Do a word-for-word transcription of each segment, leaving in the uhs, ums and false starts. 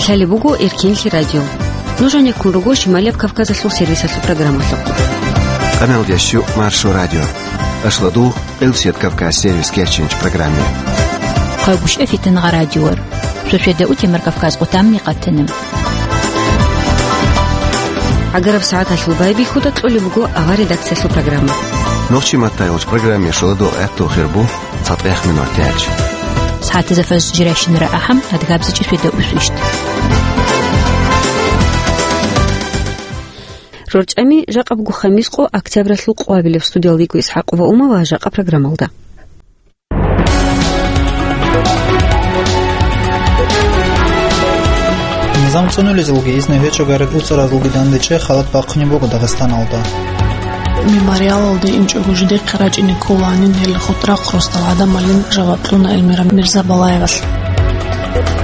Лъалеб буго Эркенлъи радио. Нуж гьанеккун руго Шималияб Кавказалъул сервисалъул программалъухъ. Къаналдияс щу Маршо радио. Ашладул Къилсият Кавказ сервис кечинч программе. Хъайгуща фитангъа радиор. Суседа утимар Кавказ къутамни къатана. Агараб сагӀаталъул байбихьуда кьолеб буго авар редакциялъул программа. Нохчи маттайгъуч программе шоладо гӀаттул хирбу. ЦатӀех минут тяч. СагӀатазда фаз жирайщинара ахӀам, адгабзичӀи светаусвищ. РорчӀами жакъаб гухъа мискъо октябралъул къвабилеб студиялдего ИсхӀакъова Ума ва жакъа программалда. Низам цӀунулезулги изну гьечӀо гьарил уцӀаразулги дандечӀей халат бахъунеб буго Дагъистаналда. Мемориалалде инчӀого жидехъе рачӀине кколаанин гьел хутӀрахъ росдал гӀадамалин жаваб кьуна Эльмира Мирзабалаевалъ.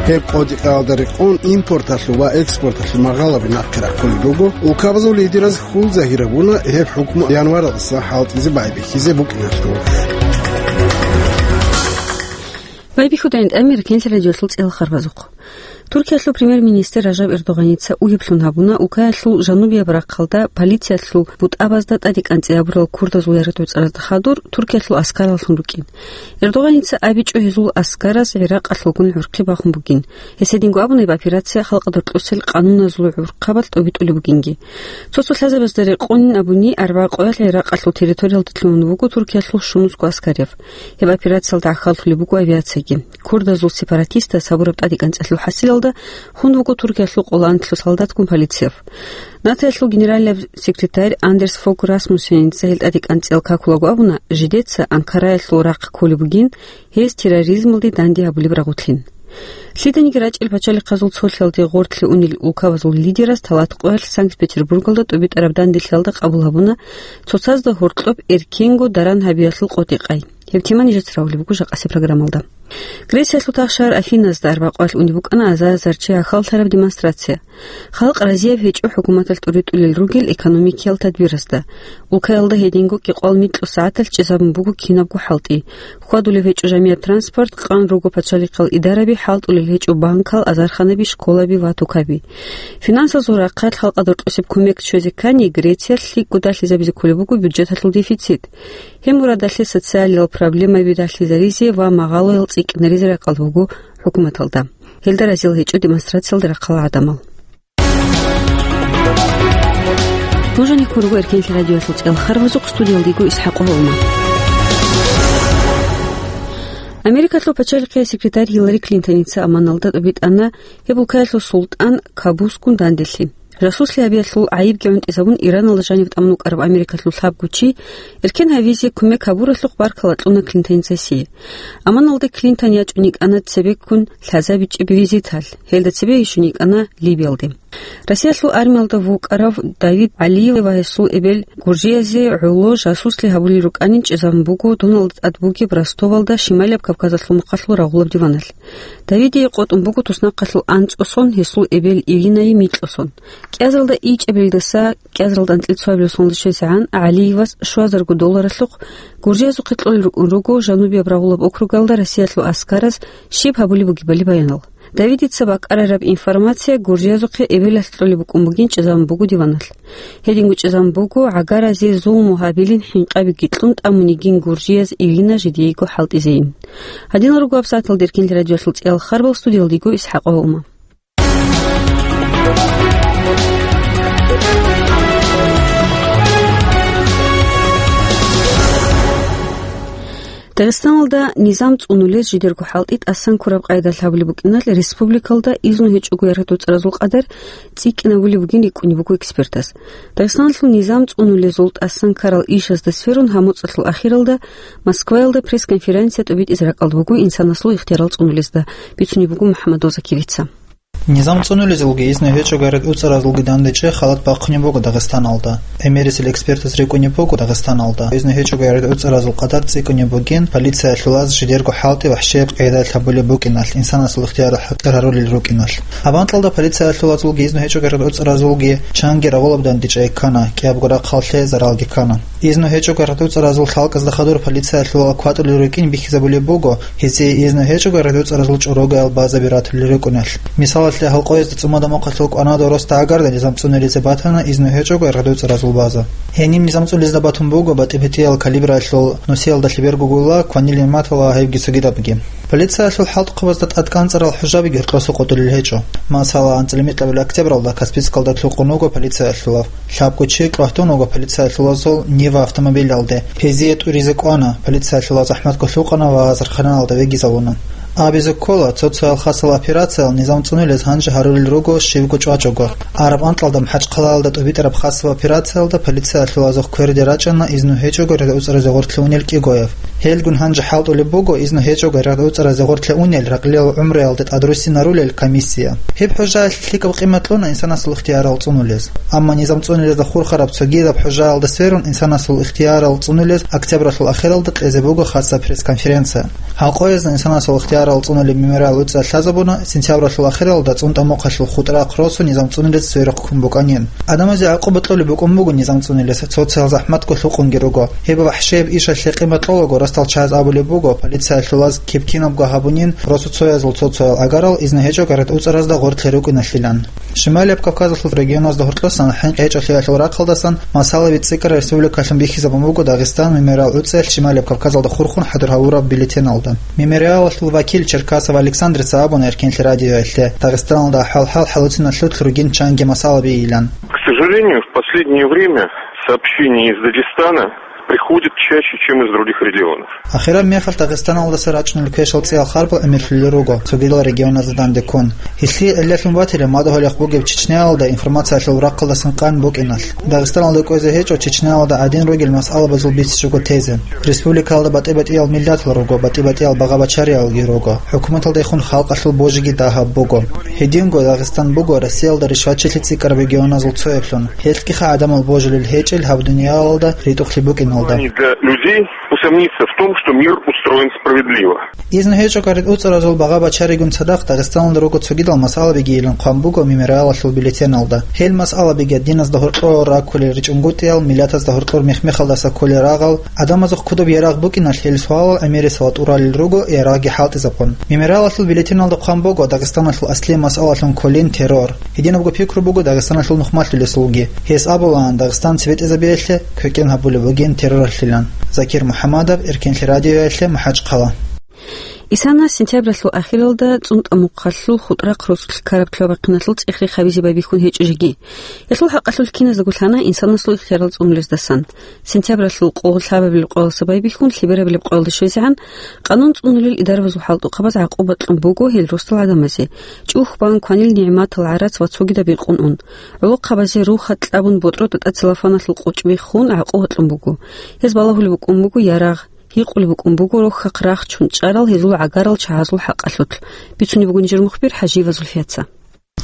Гьеб къодикъаялда рекъон импорталъул ва экспорталъул магъалаби нахъе рахъулеб буго. Улкабазул лидераз хьул загьирабуна гьеб хӀукму январалдаса хӀалтӀизе байбихьизе букӀиналъул. Байбихьудайин тӀамир кенлъи радиолъул цӀелхъарбазухъ. Туркиялъул премьер-министр Ражаб Эрдогъаница угьиблъун гьабуна, улкаялъул жанубияб рахъалда полициялъул бутӀабазда тӀадекӀанцӀи гьабурал курдазул яратуцӀаразда хадур Туркиялъул аскараллъун рукӀин. Эрдогъаница абичӀо гьезул аскараз ГӀиракъалъулгун гӀурхъи бахун бугин. Гьес гьединго абуна, гьеб операция халкъалда кьусел къануназул гӀурхъабалъ тӀобитӀулеб бугинги. Цо-цо лъазабазда рекъонин абуни, арбагъ къоялъ ГӀиракъалъул территориялде лъугьун вуго Туркиялъул щунусго аскарав. Гьеб операциялда гӀахьаллъулеб буго авиацияги. Курдазул сепаратистаз гьабураб тӀадекӀанцӀалъул хӀасилалда хун вуго Туркиялъул къоло анлъго солдатгун полицияв. НАТОялъул генералияб секретарь Андерс Фог Расмуссеница гьел тӀадекӀанцӀиял какулаго абуна, жидеца Анкараялъул рахъ кколеб бугин, гьез терроризмалде данде гьабулеб рагъулъин. Лъиданиги рачӀел пачалихъазул цолъиялде гъорлъе унел улкабазул лидераз талат къоялъ Санкт-Петербургалда тӀубитӀараб данделъиялда къабул гьабуна цоцазда гьоркьоб эркенго даран гьабиялъул къотӀи-къай. Гьеб тема нижеца равулеб буго жакъасеб программалда. Грециялъул тахшагьар Афиназда арбакъоялъ унеб букӀана азар-азар чи гӀахьаллъараб демонстрация. Халкъ разияб гьечӀо хӀукуматалъ тӀуритӀулел ругел экономикиял тадбиразда. Улкаялда гьединго кӀикъоялда микьго сагӀаталъ чӀезабун буго кинабго хӀалтӀи. Хьвадулеб гьечӀо жамигӀат транспорт, къан руго пачалихъал идараби, хӀалтӀулел гьечӀо банкал, азарханаби, школаби ва тукаби. Финансазул рахъалъ халкъалда кьусеб кумек щвезе ккани, Грециялъ лъикӀго далъизабизе кколеб буго бюджеталъул дефицит. Гьеб мурадалъе социалиял проблемаби далъизаризе ва магъалоял цӀикӀкӀинаризе ракӀалда буго хӀукуматалда. Гьелда разил гьечӀо демонстрациялда рахъал гӀадамал. Нуж гьанеккун руго Эркенлъи радиоялъул цӀелхъарбазухъ, студиялда йиго ИсхӀакъова Ума. Америкалъул пачалихъияс секретарь Гьиллари Клинтоница Амманалда тӀубитӀана гьеб улкаялъул султӀан Кабусгун данделъи. Жасуслъи гьабиялъул гӀайибги гӀунтӀизабун, Ираналда жанив тӀамун вукӀарав Америкалъул лъабго чи эркен гьавизе кумек гьабуралъухъ баркала кьуна Клинтоницасе. Амманалда Клинтон ячӀун йикӀана цебеккун лъазабичӀеб визиталъ, гьелда цебе ишун йикӀана Ливиялде. Россиялъул армиялда вукӀарав Давид ГӀалиев ва гьесул эбел гуржиязе гӀоло жасуслъи гьабулел рукӀанин чӀезабун буго Доналда тӀад бугеб Ростовалда Шималияб Кавказалъул мухъалъул рагъулаб диваналъ. Давидие къотӀун буго туснахъалъул анцӀго сон, гьесул эбел Иринае микьго сон. КӀиазаралда ичӀабилдаса кӀиазаралда анцӀила цоабилеб соналда щвезегӀан ГӀалиевас щуазарго долларалъухъ гуржиязухъе кьолел рукӀун руго жанубияб рагъулаб округалда Россиялъул аскараз щиб гьабулеб бугебали баянал. Давидица бакӀарараб информация гуржиязухъе эбелалъ кьолеб букӀун бугин чӀезабун буго диваналъ. Гьединго чӀезабун буго, гӀагаразе зулму гьабилин хӀинкъабиги кьун тӀамун йигин гуржияз Ирина жидеего хӀалтӀизейин. Гьадинал руго гьабсагӀаталда Эркенлъи радиоялъул цӀиялхъарбал, студиялда йиго ИсхӀакъова Ума. Дагъистаналда низам цӀунулез жидерго хӀалтӀи тӀасан ккураб къайдалъ гьабулеб букӀиналъ республикалда изну гьечӀого яратуцӀаразул къадар цӀикӀкӀинабулеб бугин рикӀкӀунеб буго экспертаз. Дагъистаналъул низам цӀунулезул тӀасан ккарал ишазда сверун гьаб моцӀалъул ахиралда Москваялда пресс-конференция тӀубитӀизе ракӀалда буго инсанасул ихтиярал цӀунулезда, бицунеб буго МухӀаммад Закирица. Низам цӀунулезулги изну гьечӀого яратуцӀаразулги дандечӀей халат бахъунеб буго Дагъистаналда. ГӀемерисел экспертаз рикӀкӀунеб буго Дагъистаналда изну гьечӀого яратуцӀаразул къадар цӀикӀкӀунеб бугин полициялъулаз жидерго хӀалтӀи вахӀшияб къайдалъ гьабулеб букӀиналъ, инсанасул ихтияр хӀукъарарулел рукӀиналъ. Гьаб анкьалда полициялъулазулги изну гьечӀого яратуцӀаразулги чанги рагъулаб дандечӀей ккана, кӀиябго рахъалъе заралги ккана. Изну гьечӀого рагъдуцӀаразул халкъазда хадур полициялъул кватӀулел рукӀин бихьизабулеб буго, гьезие изну гьечӀого рагъдуцӀаразул чӀорогоял базаби ратулел рукӀунелъ. Мисалалъе, Гьалкъоязда цӀумада мухъалъул кӀванада росда гӀагарда низам цӀунулезе батана изну гьечӀого рагъдуцӀаразул база. Гьениб низам цӀунулезда батун буго батӀи-батӀиял калибралъул нусиялда лъеберго гула, кванил нигӀматала гьебги цогидабги. Полициялъул хӀалтӀухъабазда тӀадкӀанцӀарал хӀужабиги гьоркьоса къотӀулел гьечӀо. Масала, анцӀила микьабил октябралда Каспийскалда лъукъун вуго полициялъулав. Лъабго чи кьвагьтун вуго полициялъулазул Нива автомобилалде. Гьезие тӀуризе кӀвана, полициялъулаз захӀматго лъукъана ва зарханалда вегизавуна. Абизе ккола, цо-цоял хасал операциял низам цӀунулез гьанже гьарулел руго щибго чӀвачӀого. Араб анкьалда МахӀачхъалаялда тӀубитӀараб хасаб операциялда полициялъулазухъ кверде рачӀана изну гьечӀого рагъдуцӀаразе гъоркье унел кӀигояв. Гьелгун гьанже хӀалтӀулеб буго изну гьечӀого рагъдуцӀаразе гъоркье унел ракьлиял гӀумруялда тӀадруссинарулел комиссия. Гьеб хӀужаялъе лъикӀаб къимат кьуна инсанасул ихтиярал цӀунулез. Амма низам цӀунулезда хурхараб цогидаб хӀужаялда сверун инсанасул ихтиярал цӀунулез октябралъул ахиралда кьезе буго хасаб пресс-конференция. Гьалкъоязда инсанасул ихтиярал цӀунулеб мемориал гӀуцӀиялъ лъазабуна сентябралъул ахиралда цӀунтӀа мухъалъул хутӀрахъ росу низам цӀунулез сверухъ ккун букӀанин. Адамазе гӀакъуба кьолеб букӀун буго низам цӀунулес, цо-цоял захӀматго лъукъунги руго. Гьеб вахӀшияб ишалъе къимат кьолаго ростал чагӀаз абулеб буго, полициялъулаз киб-кинабго гьабунин росу цоязул цо-цоял гӀагарал изну гьечӀого рагъдуцӀаразда гъоркье рукӀиналъилан. Шималияб Кавказалъул регионазда гьоркьосан хӀинкъи гьечӀолъиялъул рахъалдасан масалаби цӀикӀкӀараб республикалъун бихьизабун буго Дагъистан мемориал гӀуцӀиялъ Шималияб Кавказалда хурхун хӀадур гьавураб бюллетеналда. Мемориалалъул вакил Черкасов Александрица абуна Эркенлъи радиоялъе, Дагъистаналда ахӀвал-хӀал хӀалуцинал лъут ругин чанги масалаби илан. К сожалению, в последнее время сообщения из Дагестана приходят чаще, чем из других регионов. Ахираб мехалъ Дагъистаналдаса рачӀунел квешал цӀиял харбал гӀемерлъулел руго, цогидал регионазда данде ккун. Гьелъие гӀиллалъун батила мадугьалихъ бугеб Чечняялда информациялъул рахъалдасан къан букӀиналъ. Дагъистаналда кӀвезе гьечӀо Чечняялда гӀадин ругел масъалабазул бицичӀого тезе. Республикалда батӀи-батӀиял миллатал руго, батӀи-батӀиял багъа-бачариялги руго. ХӀукуматалдехун халкъалъул божиги дагьаб буго. Гьединго Дагъистан буго Россиялда ришвачилъи цӀикӀкӀараб регионазул цояблъун. Гьелъгиха гӀадамал божулел гьечӀел гьаб дуниялалда ритӀухълъи букӀиналда. Для людей усомниться в том, что мир устроен справедливо. Изну гьечӀого рагъдуцӀаразул багъа-бачаригун цадахъ Дагъистаналда руго цогидал масъалабиги илан хъван буго мемориалалъул бюллетеналда. Гьел масъалабиги диназда гьоркьор раккулел ричӀунгутӀиял, миллатазда гьоркьор мех-мехалдаса кколел рагъал, гӀадамазухъ кодоб ярагъ букӀиналъ гьел суалал гӀемерисела тӀуралел руго ярагъги хӀалтӀизабун. Мемориалалъул бюллетеналда хъван буго Дагъистаналъул аслияб масъалалъун кколин террор. Гьединабго пикру буго Дагъистаналъул нухмалъулесулги. Гьес абулаан, Дагъистан цебетӀезабиялъе квекӀен гьабулеб бугин терроралъилан. Закир МухӀаммадов, Эркенлъи радиоялъе, МахӀачхъала. Исана сентябралъул ахиралда цӀунтӀа мухъалъул хутӀрахъ росулъ ккараб лъабахъиналъул цӀех-рех гьабизе байбихьун гьечӀо жеги. Гьелъул хӀакъалъулъ киназдаго лъана инсанасул ихтиярал цӀунулездасан. Сентябралъул къо лъабабилеб къоялдаса байбихьун лъеберабилеб къоялде щвезегӀан, къанун цӀунулел идарабазул хӀалтӀухъабаз гӀакъуба кьун буго гьел росдал гӀадамазе, чӀухь бан, кванил нигӀматал гӀарац ва цогидаб рекъон ун. ГӀолохъабазе рухьат кьабун, ботӀрода тӀад целлофаналъул къочӀ биххун, гӀакъуба кьун буго. Гьез балагьулеб букӀун буго ярагъ, гьикъулеб букӀун буго рохьахъ рахчун чӀарал гьезул гӀагарал чагӀазул хӀакъалъулъ, бицунеб буго нижер мухбир ХӀажиева Зульфияца.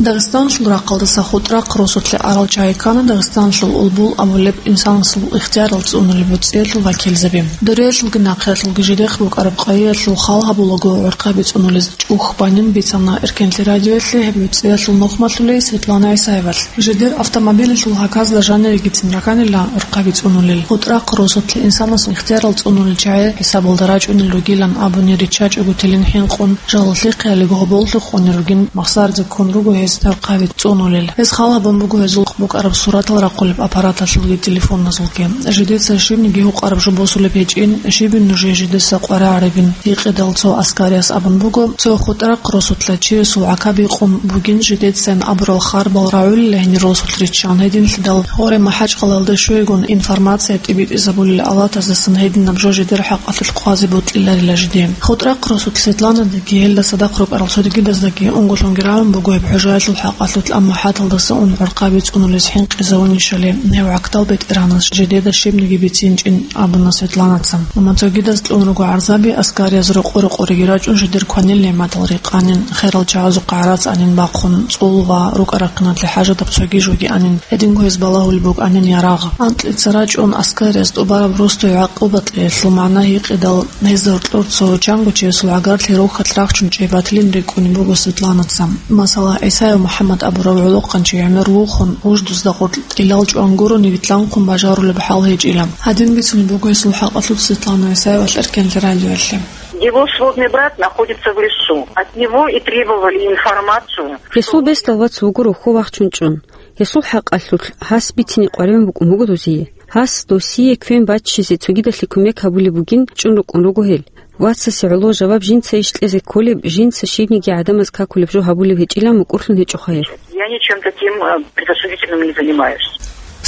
Дагъистаналъул рахъалдаса хутӀрахъ росулъе арал чагӀи ккана Дагъистаналъул улбул абулеб инсанасул ихтиярал цӀунулел буцӀиялъул вакилзаби. Дуриялъулги нахъиялъулги жидехъ букӀараб къайиялъул хал гьабулаго гӀурхъаби цӀунулез чӀухь банин бицана Эркенлъи радиоялъе гьеб буцӀиялъул нухмалъулей Светлана ГӀисаевалъ. Жидер автомобилалъул гьаказда жанирегицин раканила гӀурхъаби цӀунулел. ХутӀрахъ росулъе инсанасул ихтиярал цӀунулел чагӀи хӀисабалда рачӀунел ругилан абуни риччачӀого телин хӀинкъун, жалалъухъ ялиго гьоболлъухъ унел ругин, махсаризе ккун руго гьез гӀурхъаби цӀунулел. Гьез хал гьабун буго гьезул букӀараб суратал рахъулеб аппараталъулги телефоназулги. Жидеца щибниги гьукъараб жо босулеб гьечӀин, щибин нужее жидеса къваригӀарабин? Гьикъидал цо аскариас абун буго, цо хутӀрахъ росулъа чиясул гӀака бикъун бугин жидецайин абурал харбал рагӀулила гьенир росулъ риччан гьединлъидал. Гъоре МахӀачхъалаялда щвейгун информация тӀибитӀизабулел алатаздасан гьединаб жо жидер хӀакъалъулъ хъвазе бокьиларила жиде. ХутӀрахъ росулъ Светланадеги гьелда цадахъ рукӀарал цогидаздаги унго-лъунги рагӀун буго гьеб хӀужаялъул хӀакъалъулъ, амма хӀаталдаса ун гӀурхъаби цӀунулес хӀинкъизавунищали, гьев гӀактал бетӀергьанас жидеда щибниги бицинчӀин абуна Светланаца. Амма цогидаз кьун руго гӀарзаби, аскариз рокъо-рокъореги рачӀун жидер кванил нигӀматал рекъанин, херал чагӀазухъа гӀарац гьанин бахъун, цӀул ва рукӀа-рахъиналъе хӀажатаб цоги жоги гьанин, гьединго гьез балагьулеб букӀанин ярагъ. Анкьица рачӀун аскариз тӀубараб росдой гӀакъуба кьеялъул магӀна гьикъидал, гьезда гьоркьор цо чанго чиясул гӀагарлъи рохьалъ рахчун чӀей батилин рикӀкӀунеб буго Светланаца. Масала, Исаев МухӀаммад абурав гӀолохъанчи гӀемер вухун, вуждузда гъоркь тӀилал чӀван гурони витлъанхъун бажарулеб хӀал гьечӀила. Гьадин бицун буго гьесул хӀакъалъулъ Светлана Исаевалъ Эркенлъи радиоялъе. Его сводный брат находится в лесу. От него и требовали информацию. Гьесул бесдал вац вуго рохьо вахчун чӀун. Гьесул хӀакъалъулъ гьас бицине къваригӀун букӀун буго дозие. Гьас досие квен баччизе цогидалъе кумек гьабулеб бугин чӀун рукӀун руго гьел. Вацасе гӀоло жаваб жинца иш кьезе кколеб, жинца щибниги гӀадамаз какулеб жо гьабулеб гьечӀилан мукӀурлъун гьечӀоха гьеб. Я ничем таким, э, предосудительным не занимаюсь.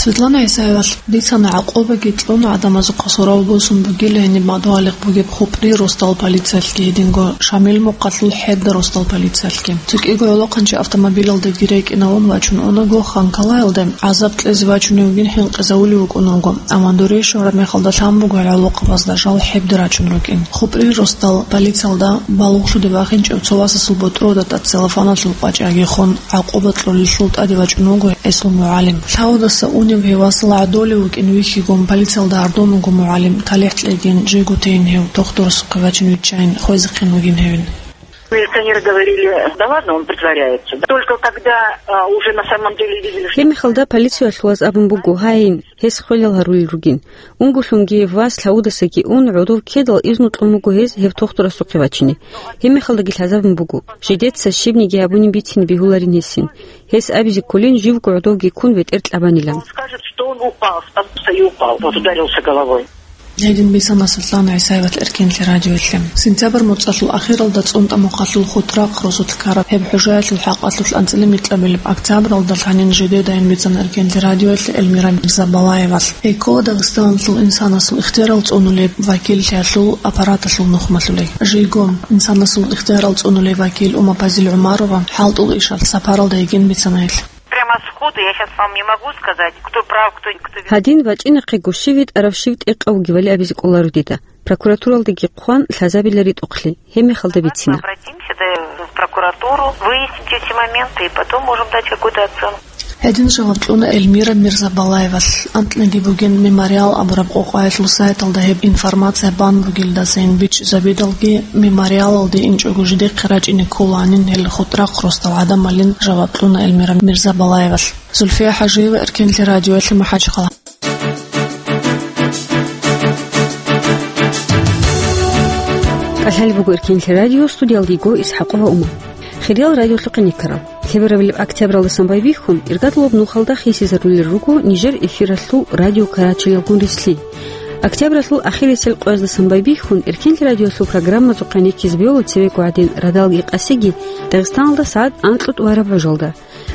Светлана ГӀисаевалъ бицана гӀакъубаги кьун гӀадамазухъа сорав босун бугила гьениб мадугьалихъ бугеб Хупри росдал полициялъги гьединго Шамил мухъалъул ХӀебда росдал полициялъги. ЦӀикӀкӀиго гӀолохъанчи автомобилалдаги рекӀинавун вачун унаго, Ханкалаялде гӀазаб кьезе вачунев вугин хӀинкъизавулев вукӀун вуго, амма дуре щвараб мехалда лъан буго гьел гӀолохъабазда жал ХӀебда рачун рукӀин. Хупри росдал полициялда балугълъуде бахинчӀев цо васасул ботӀрода тӀад целлофаналъул къвачӀаги хун, гӀакъуба кьолеллъул тӀаде вачӀун вуго гьесул мугӀалим. Лъавудаса унев гьев васал гӀодолев вукӀин вихьигун, полициялда гьардун вуго мугӀалим, талихӀ кьегин, жего тейин гьев тохтурасухъе вачин виччайин, хвезехъин вугин гьевин. Милиционеры говорили: «Да ладно, он притворяется». Только когда, а, уже на самом деле видели, что... Гьеб мехалда полициялъулаз абун буго: «Гьайин, гьес хвелал гьарулел ругин». Унго лъунги вас лъавудасаги ун, гӀодов ккедал изну кьун буго гьез гьеб тохтурасухъе вачине. Гьеб мехалдаги лъазабун буго, жидеца щибниги гьабунин бицине бегьуларин гьесин. Гьес абизе кколин живго гӀодовги ккун бетӀер кьабанилан. Он скажет, что он упал, споткнулся и упал. Вот ударился головой. Гьедин бицана Светлана ГӀисаевалъ Эркенлъи радиоялъе. Сентябрь моцӀалъул ахиралда ЦӀунтӀа мухъалъул Хутрахъ росулъ ккараб гьеб хӀужаялъул хӀакъалъулъ анцӀила микьабилеб октябралда лъанин жидеда ин бицана Эркенлъи радиоялъе Эльмира Мирзабалаевалъ. Эколо Дагъистаналъул инсанасул ихтиярал цӀунулеб вакиллъиялъул аппараталъул нухмалъулей. Жего инсанасул ихтиярал цӀунулей вакил Умапазил ГӀумарова хӀалтӀул ишалъ сапаралда йигин бицана гьелъ. Прямо сходу я щас вам не могу сказать, кто прав, кто, кто виноват. Гьадин вачӀинахъего щив витӀарав, щив тӀекъав вугевали абизе кӀоларо дида. Прокуратуралдаги хъван лъазабила ритӀухълъи, гьеб мехалда бицина. Обратимся, да, в прокуратуру, выяснимте все моменты и потом можем дать какую-то оценку. Гьедин жаваб кьуна Эльмира Мирзабалаевалъ. Анкьниги бугин Мемориал абураб къокъаялъул сайталда гьеб информация бан бугелдасайин бичӀчӀизабидалги, Мемориалалде инчӀого жидехъе рачӀине кколаанин гьел Хутрахъ росдал гӀадамалин, жаваб кьуна Эльмира Мирзабалаевалъ. Зульфия ХӀажиева, Эркенлъи радиоялъе, МахӀачхъала. КӀалъалеб буго Эркенлъи радио, студиялда йиго ИсхӀакъова Умар. Хириял радиолъухъе никарал. Лъеберабилеб октябралдасан байбихьун, иргадулаб нухалда хисизарулел руго нижер эфиралъул радио карачелалгун рилълъи. Октябралъул ахирисел къояздасан байбихьун, Эркенлъи радиолъул программазухъе никизе бегьула цевего гӀадин радалги къасиги Дагъистаналда сагӀат анкьго тӀубараб гӀужалда.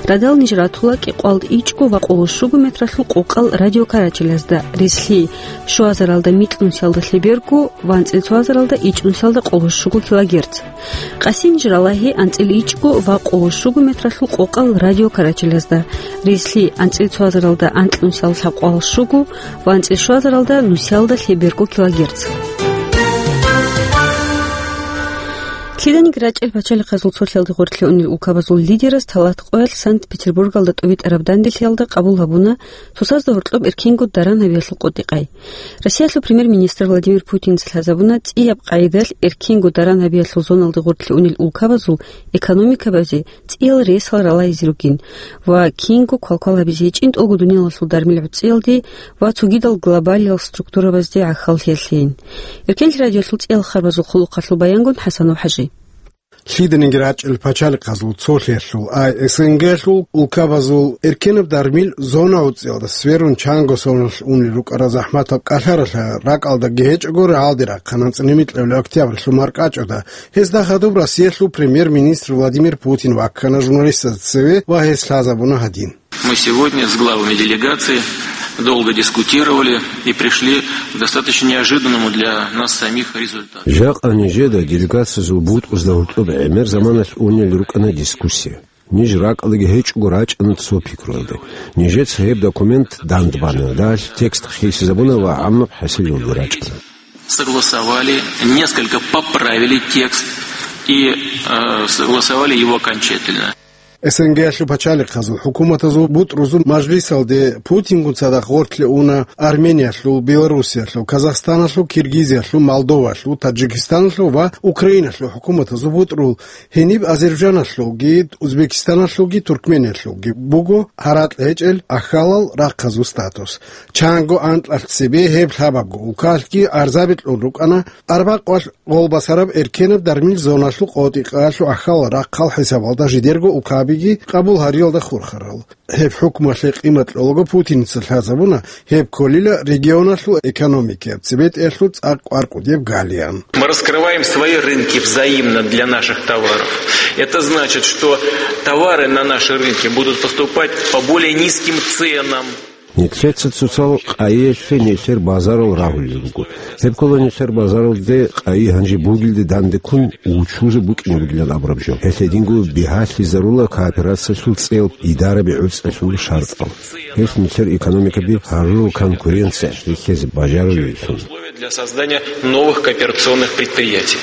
Радал ниж ратула кӀикъоялда ичӀго ва къоло щуго метралъул къокъал радиокарачелазда, рилълъи, щуазаралда микьнусиялда лъеберго ва анцӀила цоазаралда ичӀнусиялда къоло щуго килогерц. Къаси ниж ралагьи анцӀила ичӀго ва къоло щуго метралъул къокъал радиокарачелазда, рилълъи, анцӀила цоазаралда анкьнусиялда лъабкъоялда щуго ва анцӀила щуазаралда нусиялда лъеберго килогерц. Лъиданиги рачӀел пачалихъазул цолъиялде гъорлъе унел улкабазул лидераз талат къоялъ Санкт-Петербургалда тӀубитӀараб данделъиялда къабул гьабуна цоцазда гьоркьоб эркенго даран гьабиялъул къотӀи-къай. Россиялъул премьер-министр Владимир Путинца лъазабуна цӀияб къайдалъ эркенго даран гьабиялъул зоналде гъорлъе унел улкабазул экономикабазе цӀиял ресал ралайзе ругин ва кинго квалквал гьабизе гьечӀин тӀолго дуниялалъул дармил гӀуцӀиялде ва цогидал глобалиял структурабазде гӀахьаллъиялъейин. Эркенлъи радиолъул цӀиял харбазул хъулухъалъул баянгун ХӀасанов ХӀажи. Лъиданиги рачӀел пачалихъазул цолъиялъул, ай СНГ-лъул улкабазул эркенаб дармил зона гӀуцӀиялда сверун чанго соналъ унел рукӀарал захӀматаб кӀалъаралъа ракӀалдаги гьечӀого рагӀалде рахъана анцӀила микьабилеб октябрьлъул маркӀачӀуда. Гьезда хадуб Россиялъул премьер-министр Владимир Путин ваккана журналистазда цеве ва гьес лъазабуна гьадин. Мы сегодня с главами делегаций долго дискутировали и пришли к достаточно неожиданному для нас самих результату. Жакъа нижеда делегациязул бутӀрузда гьоркьоб гӀемер заманалъ унел рукӀана дискуссия. Ниж ракӀалдаги гьечӀого рачӀана цо пикруялде. Нижеца гьеб документ дандбана, далъ текст хисизабуна ва гӀаммаб хӀасилалде рачӀана. Согласовали, несколько поправили текст и, э, согласовали его окончательно. СНГ-ялъул пачалихъазул хӀукуматазул бутӀрузул мажлисалде Путингун цадахъ гъорлъе уна Армениялъул, Белоруссиялъул, Казахстаналъул, Киргизиялъул, Молдоваялъул, Таджикистаналъул ва Украиналъул хӀукуматазул бутӀрул, гьениб Азербайджаналъулги, Узбекистаналъулги, Туркмениялъулги буго гьаракь гьечӀел ахьалал рахъазул статус. Чанго анкьалъ цебе гьеб лъабабго улкалъги гӀарзаби кьун рукӀана арбакъвалъ гъолбасараб эркенаб дармил зоналъул къотӀи-къаялъул ахьалал рахъал хӀисабалда жидерго улкабиги къабул гьариялда хурхарал. Гьеб хӀукмалъе къимат кьолаго Путиница лъазабуна гьеб кколила регионалъул экономикаяб цебетӀиялъул цӀакъ кӀвар кӀудияб галиян. Мы раскрываем свои рынки взаимно для наших товаров. Это значит, что товары на наши рынки будут поступать по более низким ценам. Нилъеца цоцал къайиялъе нилъер базарал рагьулел руго. Гьеб ккола нилъер базаралде къайи гьанже бугелде дандеккун вучузе букӀине бугилан абураб жо. Гьелъ гьединго бигьалъизарула кооперациялъул цӀел, идараби гӀуцӀалъул шартӀал. Гьелъ нилъер экономикаби гьарурал конкуренция рихьизе бажарулеллъун. Условия для создания новых кооперационных предприятий.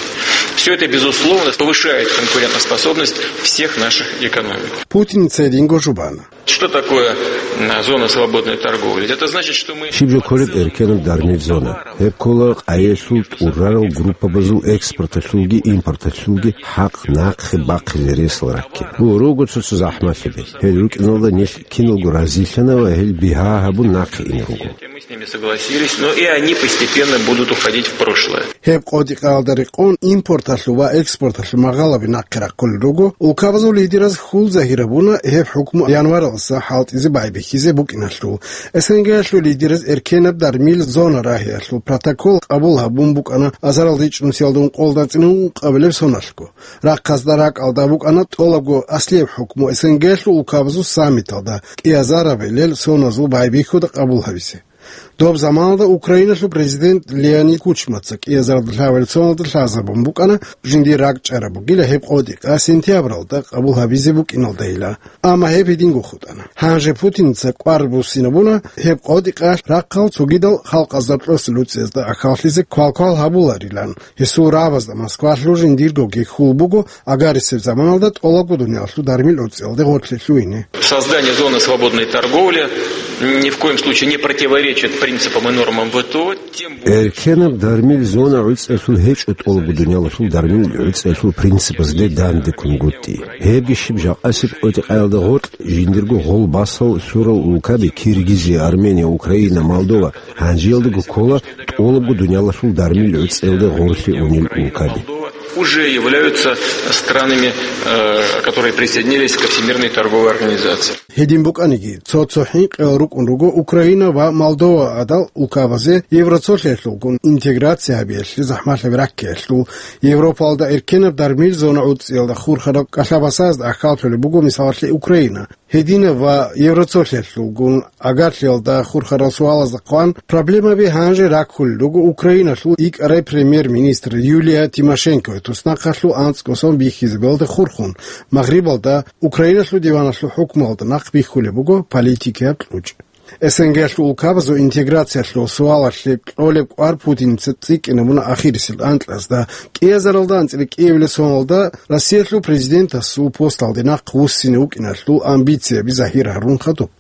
Всё это, безусловно, повышает конкурентоспособность всех наших экономик. Путиница гьединго жубана. Что такое, м, зона свободной торговли? Это значит, что мы... Щиб жо кколеб эркенаб дармил зона? Гьеб ккола къайиялъул тӀурарал группабазул экспорталъулги импорталъулги хӀакъ нахъе бахъизе ресал ракки. Гьу, руго цо-цо захӀмалъаби. Гьел рукӀиналда нилъ киналго разилъана ва гьел бигьа гьабун нахъе ина руго. Мы с ними согласились, но и они постепенно будут уходить в прошлое. Гьеб къотӀи-къаялда рекъон импорталъул ва экспорталъул магъалаби нахъе рахъулел руго, улкабазул лидераз хьул загьир гьабуна гьеб хӀукму январалдаса хӀалтӀизе байбихьизе букӀиналъул. СНГ-ялъул лидераз эркенаб дармил зона рагьиялъул протокол къабул гьабун букӀана азаралда ичӀнусиялда ункъоялда цӀинун ункъабилеб соналъго. Рахъазда ракӀалда букӀана тӀолабго аслияб хӀукму СНГ-ялъул улкабазул саммиталда кӀиазарабилел соназул байбихьуда къабул гьабизе. Доб заманалда Украиналъул президент Леонид Кучмаца кӀиазарда лъабабилеб соналда лъазабун букӀана, жиндир ракӀчӀараб бугила гьеб къотӀи-къа сентябралда къабул гьабизе букӀиналдайила. Амма гьеб гьединго хутӀана. Гьанже Путиница кӀвар буссинабуна гьеб къотӀи-къа рахъал цогидал халкъазда кьосел уцӀиязда ахьаллъизе квалквал гьабуларилан. Гьесул рагӀабазда Москвалъул жиндиргоги хьул буго агарисеб заманалда тӀолабго дуниялалъул дармил уцӀиялде гъорлъе лъугьине. Создание зоны свободной торговли ни в коем случае не противоречит принципам и нормам В Т О, тем более... Эркенаб дармил зона гӀуцӀиялъул гьечӀо тӀолабго дуниялалъул дармил гӀуцӀиялъул принципазде дандеккунгутӀи. Гьебги щиб жакъасеб къотӀи-къаялда гъоркь жиндирго гъолбасал лъурал улкаби Киргизия, Армения, Украина, Молдова гьанжеялдаго ккола тӀолабго дуниялалъул дармил гӀуцӀиялде гъорлъе унел улкаби. Уже являются странами, э, которые присоединились ко Всемирной торговой организации. Гьедин букӀаниги, цо-цо хӀинкъиял рукӀун руго Украина ва Молдова гӀадал улкабазе Евроцолъиялъулгун интеграция гьабиялъе захӀмалъаби раккиялъул. Европалда эркенаб дармил зона гӀуцӀиялда хурхараб кӀалъабасазда ахьаллъулеб буго, мисалалъе, Украина. Гьединаб ва Евроцолъиялъулгун агарлъиялда хурхарал суалазда хъван, проблемаби гьанже раккулел руго Украиналъул икӀарай премьер-министр Юлия Тимошенкоя туснахъалъул анцӀго сон бихьизабиялда хурхун, Магърибалда Украиналъул диваналъул хӀукмуялда нахъ бихьулеб буго политикияб кьучӀ. СНГ-ялъул улкабазул интеграциялъул суалалъе кьолеб кӀвар Путиница цӀикӀкӀинабуна ахирисел анкьазда. КӀиазаралда анцӀила кӀиабилеб соналда Россиялъул президентасул посталде нахъ вуссине вукӀиналъул амбицияби загьир гьарун хадуб.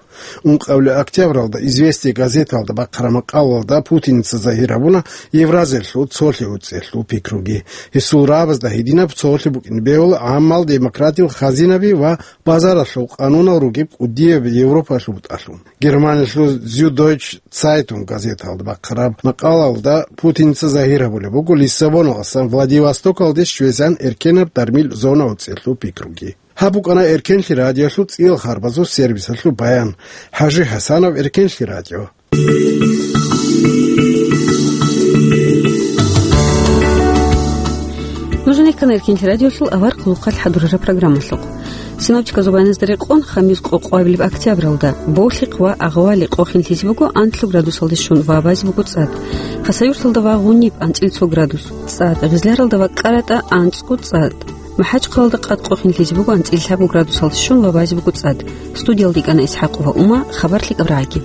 Ункъабилеб октябралда «Известия» газеталда бахъараб макъалалда Путиница загьир гьабуна Евразиялъул цолъи уцӀиялъул пикруги. Гьесул рагӀабазда гьединаб цолъи букӀин бегьула гӀаммал демократиял хазинаби ва базаралъул къанунал ругеб кӀудияб Европалъул бутӀалъун. Германиялъул Зюддойче Цайтунг газеталда бахъараб макъалалда Путиница загьир гьабулеб буго Лиссабоналдасан Владивостокалде щвезегӀан эркенаб дармил зона уцӀиялъул пикруги. Гьаб букӀана Эркенлъи радиоялъул цӀиял харбазул сервисалъул баян. ХӀажи ХӀасанов, Эркенлъи радио. Нуж нехъана Эркенлъи радиоялъул авар хъулухъалъ хӀадурараб программалъухъ. Синоптиказул баяназда рекъон, хамис къокъоабилеб октябралда болъихъ ва агъвали къохинлъизе буго анлъго градусалде щун ва абазе буго цӀад. Хасавюрталда ва Гъуниб анцӀила цо градус цӀад, Гъизляралда ва КӀаратӀа анцӀго цӀад. МахӀачхъалалда къад къохинлъизе буго анцӀила лъабго градусалде щун ва абазе буго цӀад. Студиялда йикӀана ИсхӀакъ ва Ума, хабар лъикӀаб рагӀаги.